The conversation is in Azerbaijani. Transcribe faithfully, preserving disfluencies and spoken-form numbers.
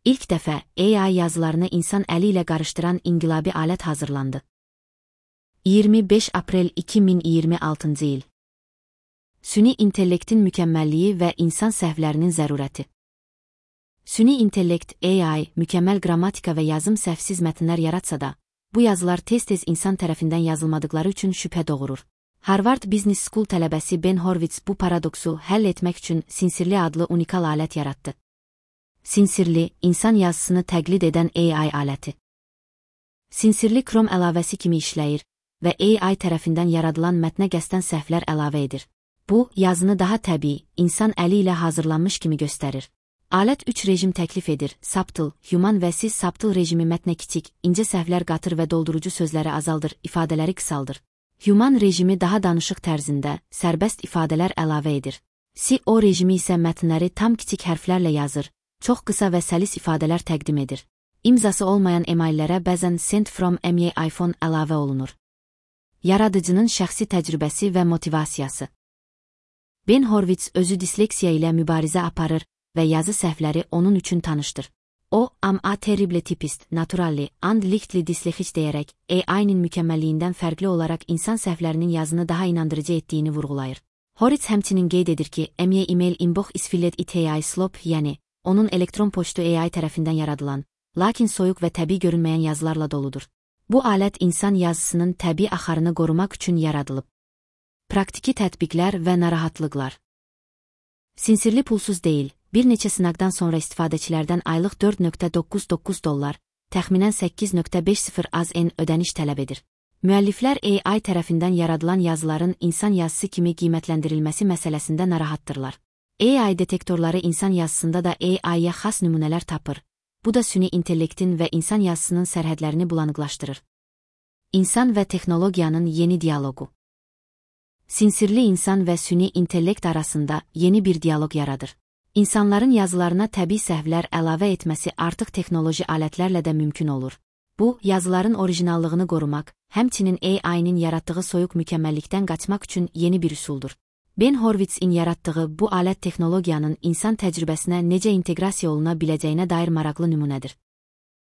İlk dəfə A I yazılarını insan əli ilə qarışdıran inqilabi alət hazırlandı. iyirmi beş aprel iki min iyirmi altıncı il. Süni intellektin mükəmməlliyi və insan səhvlərinin zərurəti. Süni intellekt A I mükəmməl qrammatika və yazım səhvsiz mətnlər yaratsa da, bu yazılar tez-tez insan tərəfindən yazılmadıkları üçün şübhə doğurur. Harvard Business School tələbəsi Ben Horowitz bu paradoksu həll etmək üçün Sincirli adlı unikal alət yaratdı. Sincirli, insan yazısını təqlid edən A I aləti. Sincirli Chrome əlavəsi kimi işləyir və A I tərəfindən yaradılan mətnə qəsdən səhvlər əlavə edir. Bu, yazını daha təbii, insan əli ilə hazırlanmış kimi göstərir. Alət üç rejim təklif edir: Subtle, Human və Siz Subtle rejimi mətnə kiçik, incə səhvlər qatır və doldurucu sözləri azaldır, ifadələri qısaldır. Human rejimi daha danışıq tərzində, sərbəst ifadələr əlavə edir. C O rejimi isə mətnləri tam kiçik hərflərlə yazır, çox qısa və səlis ifadələr təqdim edir. İmzası olmayan emaillərə bəzən Send from M Y iPhone əlavə olunur. Yaradıcının şəxsi təcrübəsi və motivasiyası. Ben Horowitz özü disleksiya ilə mübarizə aparır və yazı səhvləri onun üçün tanışdır. O, am a terrible typist, naturally, and lichtly dislexic deyərək, A I-nin mükəmməlliyindən fərqli olaraq insan səhvlərinin yazını daha inandırıcı etdiyini vurğulayır. Horowitz həmçinin qeyd edir ki, M Y email inbox is filled with A I slop, yəni, onun elektron poçtu A I tərəfindən yaradılan, lakin soyuq və təbii görünməyən yazılarla doludur. Bu alət insan yazısının təbii axarını qorumaq üçün yaradılıb. Praktiki tətbiqlər və narahatlıqlar. Sincirli pulsuz deyil, bir neçə sınaqdan sonra istifadəçilərdən aylıq dörd nöqtə doqquz doqquz dollar, təxminən səkkiz nöqtə beş sıfır az en ödəniş tələb edir. Müəlliflər A I tərəfindən yaradılan yazıların insan yazısı kimi qiymətləndirilməsi məsələsində narahatdırlar. A I detektorları insan yazısında da A I-yə xas nümunələr tapır. Bu da süni intellektin və insan yazısının sərhədlərini bulanıqlaşdırır. İnsan və texnologiyanın yeni dialoqu. Sincirli insan və süni intellekt arasında yeni bir dialoq yaradır. İnsanların yazılarına təbii səhvlər əlavə etməsi artıq texnoloji alətlərlə də mümkün olur. Bu, yazıların orijinallığını qorumaq, həmçinin A I-nin yaratdığı soyuq mükəmməllikdən qaçmaq üçün yeni bir üsuldur. Ben Horowitz'in yaratdığı bu alət texnologiyanın insan təcrübəsinə necə inteqrasiya oluna biləcəyinə dair maraqlı nümunədir.